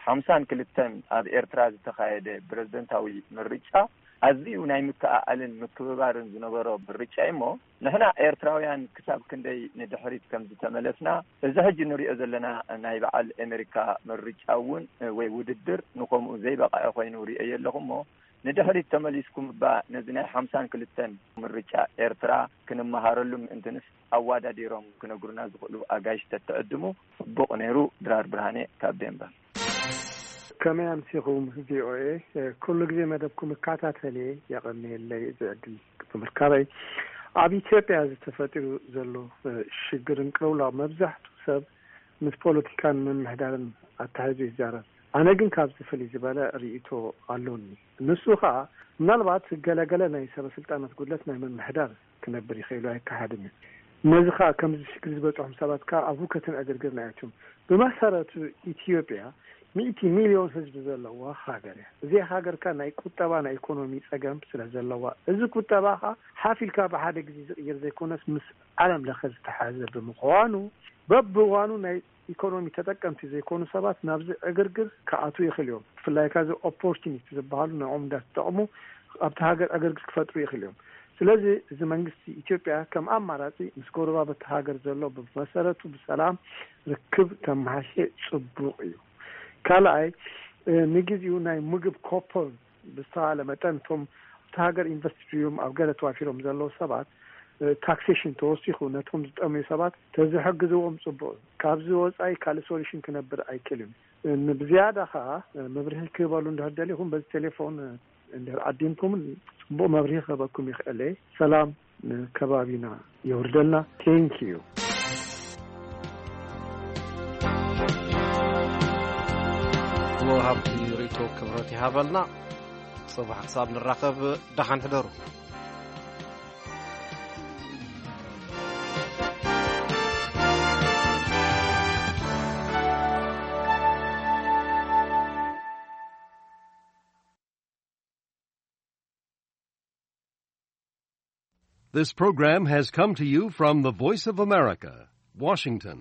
ሓምሳን ክልተን ኣብ ኤርትራ ዝተኻየደ ፕረዚደንታዊ ምርጫ ኣዝዩ ናይ ምክእኣልን ምክብባርን ዝነበሮ ምርጫ እዩ። እሞ ንሕና ኤርትራውያን ክሳብ ክንደይ ንድሕሪት ከም ዝተመለስና እዚ ሕጂ ንሪኦ ዘለና ናይ በዓል ኣሜሪካ ምርጫ እውን ወይ ውድድር ንኸምኡ ዘይበቕዐ ኮይኑ ሪኦ ኣለኹ። እሞ ንድሕሪት ተመሊስኩም እባ ነዚ ናይ ሓምሳን ክልተን ምርጫ ኤርትራ ክንመሃረሉ ምእንትንስ ኣዋዳዲሮም ክነግሩና ዝኽእሉ ኣጋይሽ ተትዕድሙ ጽቡቕ ነይሩ። ድራር ብርሃኔ ካብ ዴንቨር። ከመይ ኣምሲኹም ቪኦኤ? ኩሉ ግዜ መደብኩም እካታተልየ፣ የቐንየለይ እዚ ዕድል ብምርካበይ። ኣብ ኢትዮጵያ ዝተፈጢሩ ዘሎ ሽግርን ቅልውላው መብዛሕትኡ ሰብ ምስ ፖለቲካን ምምሕዳርን ኣተሓሒዙ ይዛረብ። ኣነ ግን ካብዚ ፍልይ ዝበለ ርእይቶ ኣሎኒ። ንሱ ኸኣ ምናልባት ገለገለ ናይ ሰበ ስልጣናት ጉድለት ናይ ምምሕዳር ክነብር ይኽእል ኣይከሓድን እዩ። ነዚ ኸኣ ከምዚ ሽግር ዝበፅሖም ሰባት ከኣ ኣብ ሁከትን ዕግርግርን ኣይኣትዮም። ብመሰረቱ ኢትዮጵያ ሚእቲ ሚልዮን ህዝቢ ዘለዋ ሃገር እያ። እዚኣ ሃገር ከኣ ናይ ቁጠባ ናይ ኢኮኖሚ ፀገም ስለ ዘለዋ እዚ ቁጠባ ኸኣ ሓፍ ኢልካ ብሓደ ግዜ ዝቕየር ዘይኮነስ ምስ ዓለም ለኸ ዝተሓዘ ብምዃኑ በብእዋኑ ናይ ኢኮኖሚ ተጠቀምቲ ዘይኮኑ ሰባት ናብዚ ዕግርግር ክኣትዉ ይኽእሉ እዮም። ብፍላይ ከዚ ኦፖርቹኒስት ዝበሃሉ ንዕኦም እንዳተጠቕሙ ኣብቲ ሃገር ዕግርግር ክፈጥሩ ይኽእሉ እዮም። ስለዚ እዚ መንግስቲ ኢትዮጵያ ከም ኣማራፂ ምስ ጎረባብቲ ሃገር ዘሎ ብመሰረቱ ብሰላም ርክብ ተመሓሸ ፅቡቕ እዩ። ካልኣይ ንግዜኡ ናይ ምግብ ኮፖን ብዝተባሃለ መጠን እቶም ኣብቲ ሃገር ኢንቨስት ድዮም ኣብ ገለ ተዋፊሮም ዘለዉ ሰባት ታክሴሽን ተወሲኹ ነቶም ዝጠምዩ ሰባት ተዝሕግዝዎም ፅቡቕ እዩ። ካብዚ ወፃኢ ካልእ ሶሉሽን ክነብር ኣይክእልን። ብዝያዳ ከዓ መብርሂ ክህበሉ እንድሕር ደሊኹም በዚ ቴሌፎን እንድሕር ዓዲምኩም ፅቡቕ መብርሂ ክህበኩም ይኽእል እየ። ሰላም ንከባቢና የውርደልና። ቴንኪዩ። ወሃብቲ ርእይቶ ክብረት ይሃበልና። ጽባሕ ክሳብ ንራኸብ ደሓን ሕደሩ። This program has come to you from the Voice of America, Washington.